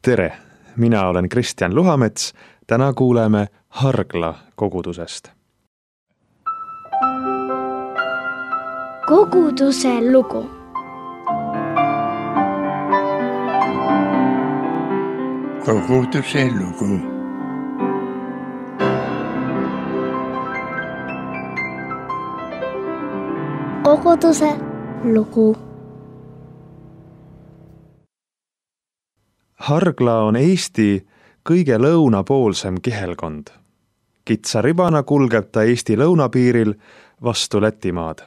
Tere, mina olen Kristjan Luhamets, täna kuuleme Hargla kogudusest. Koguduse lugu. Koguduse lugu. Koguduse lugu. Hargla on Eesti kõige lõunapoolsem kihelkond. Kitsa ribana kulgeb ta Eesti lõunapiiril vastu Lätimaad.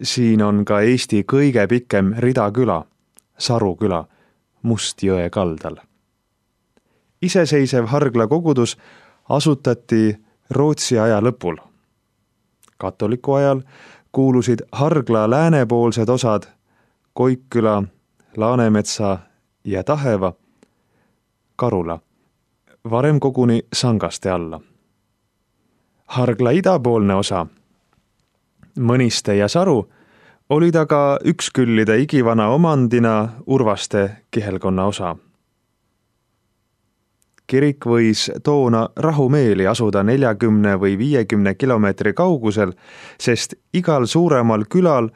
Siin on ka Eesti kõige pikem ridaküla, Saru küla, Mustjõe kaldal. Iseseisev Hargla kogudus asutati Rootsi aja lõpul. Katoliku ajal kuulusid Hargla läänepoolsed osad Koikküla, Laanemetsa ja Taheva Karula, varem koguni Sangaste alla. Hargla idapoolne osa, Mõniste ja Saru, olid aga üksküllide igivana omandina Urvaste kihelkonna osa. Kirik võis toona rahumeeli asuda 40 või 50 kilomeetri kaugusel, sest igal suuremal külal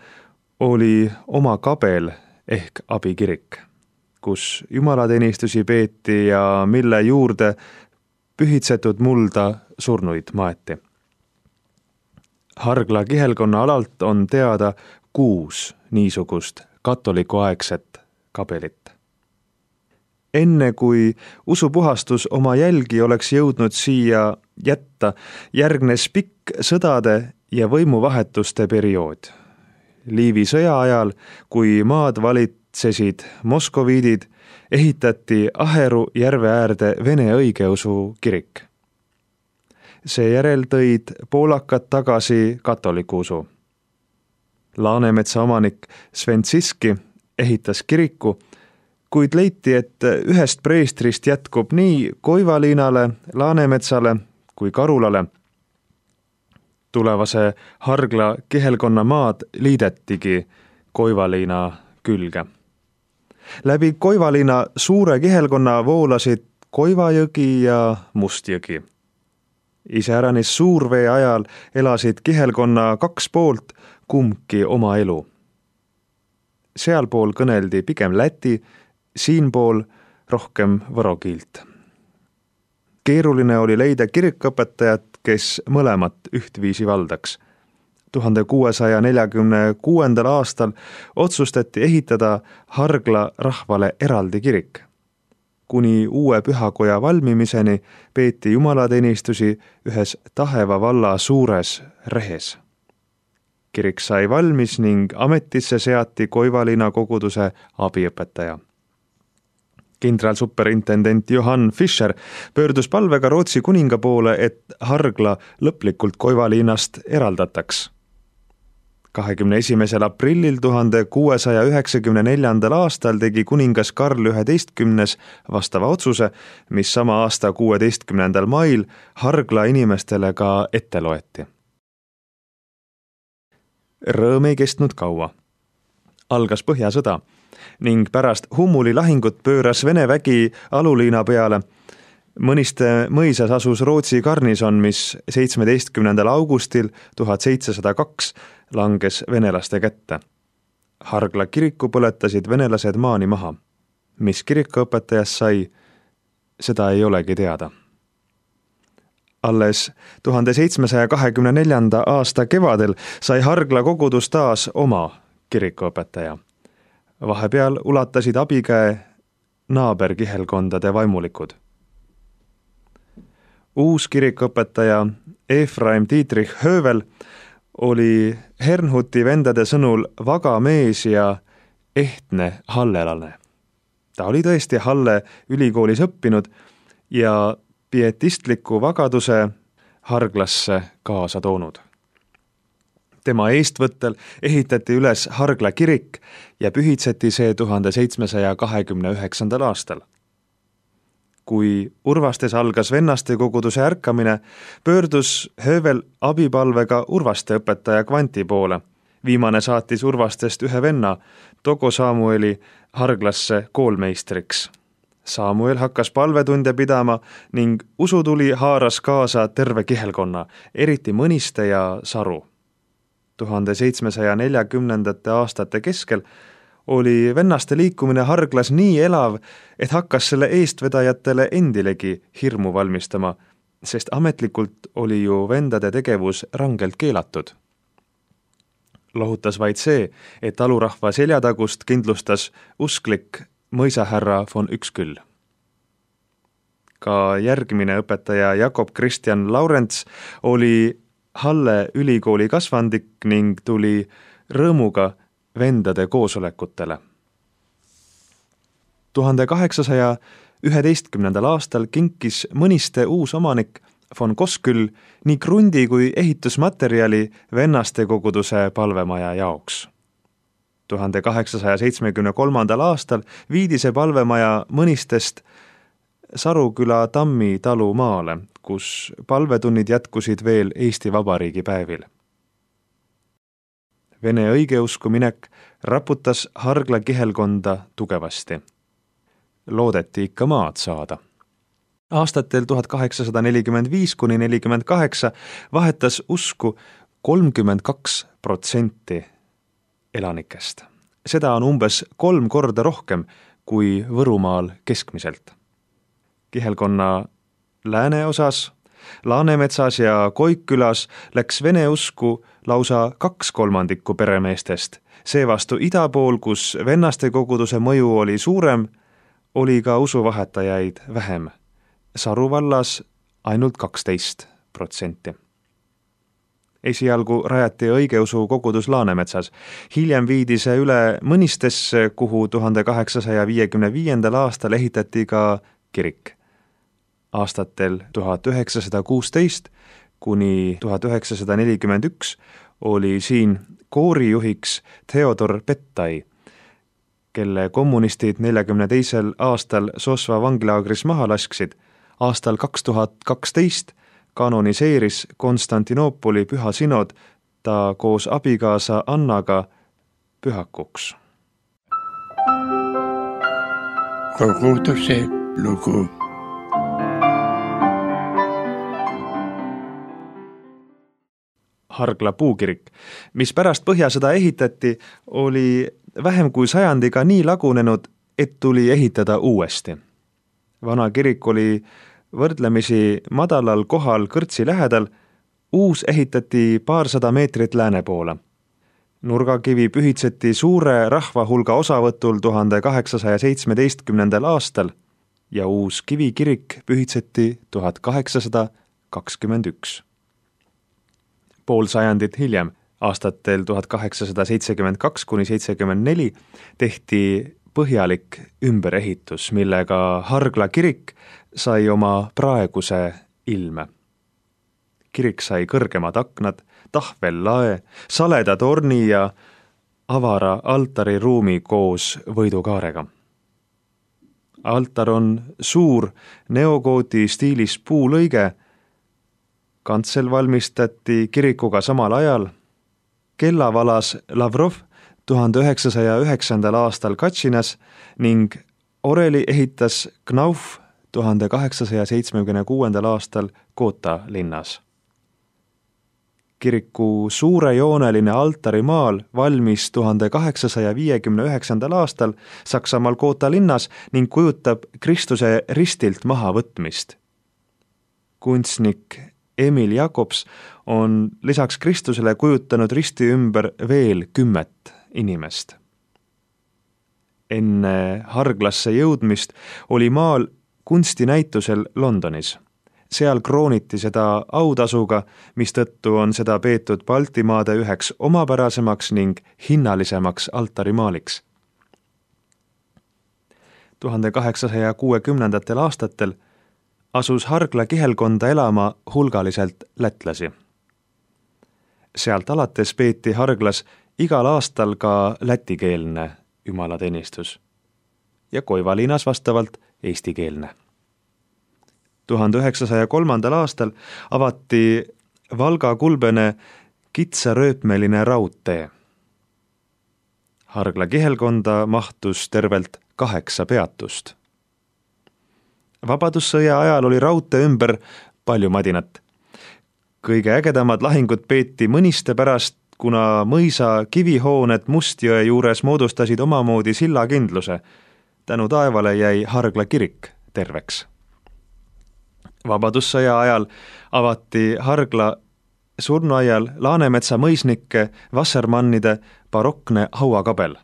oli oma kabel ehk abikirik, kus jumalateenistusi peeti ja mille juurde pühitsetud mulda surnuid maeti. Hargla kihelkonna alalt on teada 6 niisugust katolikuaegset kabelit. Enne kui usupuhastus oma jälgi oleks jõudnud siia jätta, järgnes pikk sõdade ja võimuvahetuste periood. Liivi sõja ajal, kui maad valitsesid moskoviidid, ehitati Aheru järve äärde Vene õigeusu kirik. Seejärel tõid poolakad tagasi katoliku usu. Laanemetsa omanik Sventsiski ehitas kiriku, kuid leiti, et ühest preestrist jätkub nii Koivaliinale, Laanemetsale kui Karulale. Tulevase Hargla kihelkonna maad liidetigi Koivaliina külge. Läbi Koivaliina suure kihelkonna voolasid Koivajõgi ja Mustjõgi. Iseäranis suurvee ajal elasid kihelkonna 2 poolt kumbki oma elu. Sealpool kõneldi pigem läti, siinpool rohkem võro kiilt. Keeruline oli leida kirikuõpetajat, kes mõlemat ühtviisi valdaks. 1646. aastal otsustati ehitada Hargla rahvale eraldi kirik. Kuni uue pühakoja valmimiseni peeti jumalateenistusi ühes Taheva valla suures rehes. Kirik sai valmis ning ametisse seati Koivaliina koguduse abiõpetaja. Kindralsuperintendent Johan Fischer pöördus palvega Rootsi kuninga poole, et Hargla lõplikult Koivaliinast eraldataks. 21. aprillil 1694. aastal tegi kuningas Karl XI vastava otsuse, mis sama aasta 16. mail Hargla inimestele ka ette loeti. Rõõm ei kestnud kaua. Algas Põhjasõda ning pärast Hummuli lahingut pööras Vene vägi aluliina peale. Mõniste mõisas asus Rootsi garnison, mis 17. augustil 1702 langes venelaste kätte. Hargla kiriku põletasid venelased maani maha. Mis kirikuõpetajast sai, seda ei olegi teada. Alles 1724. aasta kevadel sai Hargla kogudus taas oma kirikuõpetaja. Vahepeal ulatasid abikäe naaberkihelkondade vaimulikud. Uus kirikuõpetaja Efraim Dietrich Hövel oli Hernhuti vendade sõnul vaga mees ja ehtne hallelane. Ta oli tõesti Halle ülikoolis õppinud ja pietistliku vagaduse Harglasse kaasa toonud. Tema eestvõttel ehitati üles Hargla kirik ja pühitseti see 1729. aastal. Kui Urvastes algas vennaste koguduse ärkamine, pöördus Hövel abipalvega Urvaste õpetaja Kvanti poole. Viimane saatis Urvastest ühe venna, Togo Samueli, Harglasse koolmeistriks. Samuel hakkas palvetunde pidama ning usutuli haaras kaasa terve kihelkonna, eriti Mõniste ja Saru. 1740. aastate keskel oli vennaste liikumine Harglas nii elav, et hakkas selle eestvedajatele endilegi hirmu valmistama, sest ametlikult oli ju vendade tegevus rangelt keelatud. Lohutas vaid see, et talurahva seljatagust kindlustas usklik mõisahärra von Üksküll. Ka järgmine õpetaja Jakob Christian Laurents oli Halle ülikooli kasvandik ning tuli rõõmuga vendade koosolekutele. 1811. aastal kinkis Mõniste uus omanik von Koskül nii krundi kui ehitusmaterjali vennaste koguduse palvemaja jaoks. 1873. aastal viidi see palvemaja Mõnistest Saruküla Tammi talu maale, kus palvetunnid jätkusid veel Eesti Vabariigi päevil. Vene õigeusku minek raputas Hargla kihelkonda tugevasti. Loodeti ikka maad saada. Aastatel 1845–48 vahetas usku 32% elanikest. Seda on umbes 3 korda rohkem kui Võrumaal keskmiselt. Kihelkonna lääneosas, Laanemetsas ja Koikkülas läks vene usku lausa 2/3 peremeestest. Seevastu ida pool, kus vennaste koguduse mõju oli suurem, oli ka usuvahetajaid vähem. Saru vallas ainult 12%. Esialgu rajati õigeusu kogudus Laanemetsas. Hiljem viidi see üle Mõnistesse, kuhu 1855. aastal ehitati ka kirik. Aastatel 1916 kuni 1941 oli siin koorijuhiks Theodor Pettai, kelle kommunistid 42. aastal Sosva vangilaagris maha lasksid. Aastal 2012 kanoniseeris Konstantinoopoli püha sinod ta koos abikaasa Annaga pühakuks. Koguduse lugu. Hargla puukirik, mis pärast Põhjasõda ehitati, oli vähem kui sajandiga nii lagunenud, et tuli ehitada uuesti. Vana kirik oli võrdlemisi madalal kohal kõrtsi lähedal, uus ehitati paarsada meetrit lääne poole. Nurgakivi pühitseti suure rahvahulga osavõtul 1817. aastal ja uus kivikirik pühitseti 1821. Pool sajandit hiljem, aastatel 1872–74 tehti põhjalik ümberehitus, millega Hargla kirik sai oma praeguse ilme. Kirik sai kõrgemad aknad, tahvellae, saleda torni ja avara altariruumi koos võidukaarega. Altar on suur neogooti stiilis puulõige, kantsel valmistati kirikuga samal ajal, kella valas Lavrov 1909. aastal Katšinas ning oreli ehitas Knauf 1876. aastal Koota linnas. Kiriku suurejooneline altarimaal valmis 1859. aastal Saksamaal Koota linnas ning kujutab Kristuse ristilt mahavõtmist. Kunstnik Emil Jakobs on lisaks Kristusele kujutanud risti ümber veel 10 inimest. Enne Harglasse jõudmist oli maal kunstinäitusel Londonis. Seal krooniti seda autasuga, mistõttu on seda peetud Baltimaade üheks omapärasemaks ning hinnalisemaks altarimaaliks. 1860. aastatel asus Hargla kihelkonda elama hulgaliselt lätlasi. Sealt alates peeti Harglas igal aastal ka lätikeelne jumalateenistus ja Koiva linnas vastavalt eestikeelne. 1903. aastal avati Valga-Kulbene kitsarööpmeline raudtee. Hargla kihelkonda mahtus tervelt 8 peatust. Vabadussõja ajal oli raudtee ümber palju madinat. Kõige ägedamad lahingud peeti Mõniste pärast, kuna mõisa kivihooned Mustjõe juures moodustasid omamoodi sillakindluse. Tänu taevale jäi Hargla kirik terveks. Vabadussõja ajal avati Hargla surnuaial Laanemetsa mõisnike Wassermannide barokne hauakabel.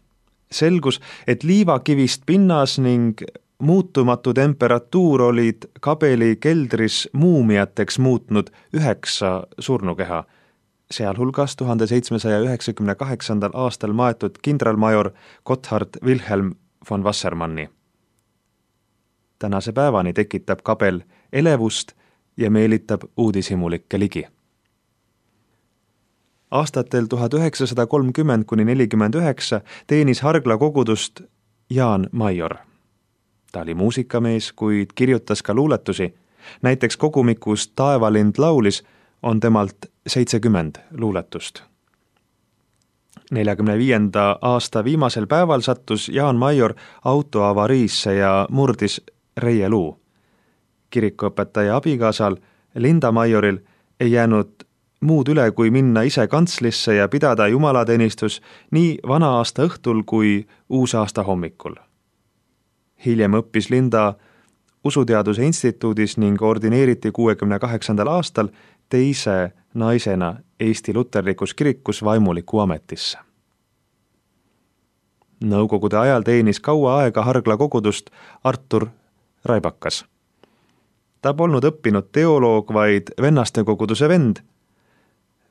Selgus, et liivakivist pinnas ning muutumatu temperatuur olid kabeli keldris muumiateks muutnud 9 surnukeha, sealhulgas 1798. aastal maetud kindralmajor Gotthard Wilhelm von Wassermanni. Tänase päevani tekitab kabel elevust ja meelitab uudishimulikke ligi. Aastatel 1930–49 teenis Hargla kogudust Jaan Major. Ta oli muusikamees, kuid kirjutas ka luuletusi. Näiteks kogumikus Taevalind laulis on temalt 70 luuletust. 45. aasta viimasel päeval sattus Jaan Major autoavariisse ja murdis reieluu. Kirikuõpetaja abikaasal Linda Majoril ei jäänud muud üle, kui minna ise kantslisse ja pidada jumalateenistus nii vana aasta õhtul kui uusaasta hommikul. Hiljem õppis Linda Usuteaduse instituudis ning ordineeriti 68. aastal teise naisena Eesti Luterlikus kirikus vaimuliku ametisse. Nõukogude ajal teenis kaua aega Hargla kogudust Artur Raibakas. Ta polnud õppinud teoloog, vaid vennaste koguduse vend.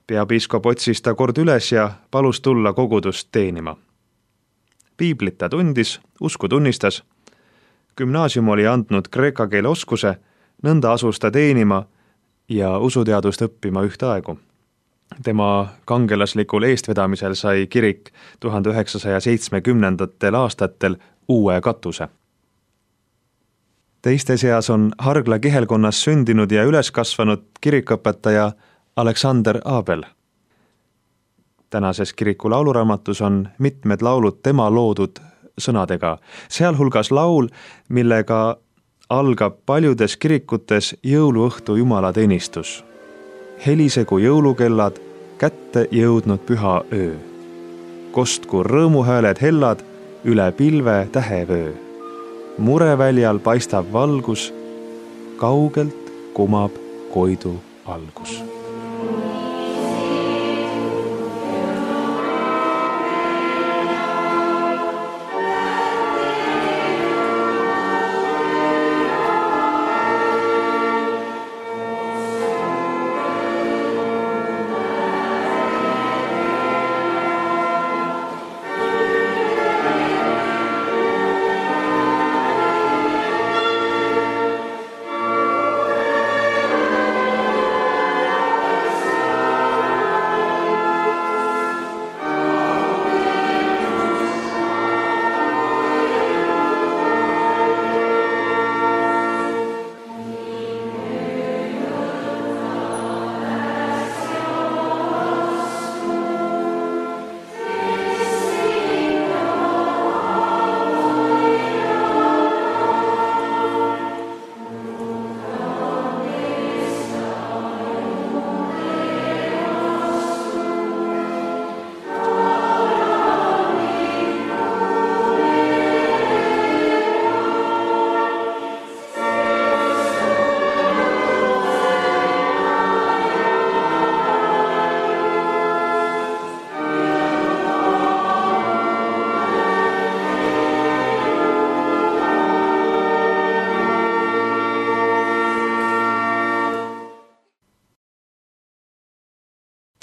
Peapiiskop otsis ta kord üles ja palus tulla kogudust teenima. Piiblit ta tundis, usku tunnistas. Gümnaasium oli andnud kreeka keele oskuse, nõnda asus ta teenima ja usuteadust õppima ühtaegu. Tema kangelaslikul eestvedamisel sai kirik 1970. aastatel uue katuse. Teiste seas on Hargla kihelkonnas sündinud ja üles kasvanud kirikõpetaja Aleksander Abel. Tänases kiriku lauluraamatus on mitmed laulud tema loodud sõnadega, sealhulgas laul, millega algab paljudes kirikutes jõuluõhtu jumalateenistus. Helisegu jõulukellad, kätte jõudnud püha öö. Kostku rõõmuhääled hellad üle pilve tähevöö. Mureväljal paistab valgus, kaugelt kumab koidu algus.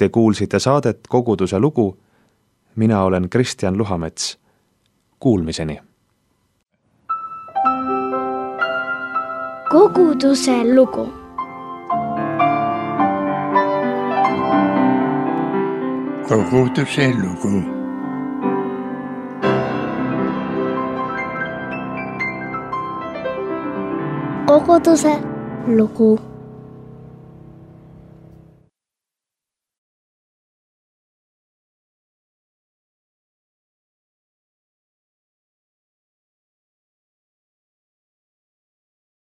Te kuulsite saadet Koguduse lugu. Mina olen Kristjan Luhamets. Kuulmiseni. Koguduse lugu. Koguduse lugu. Koguduse lugu.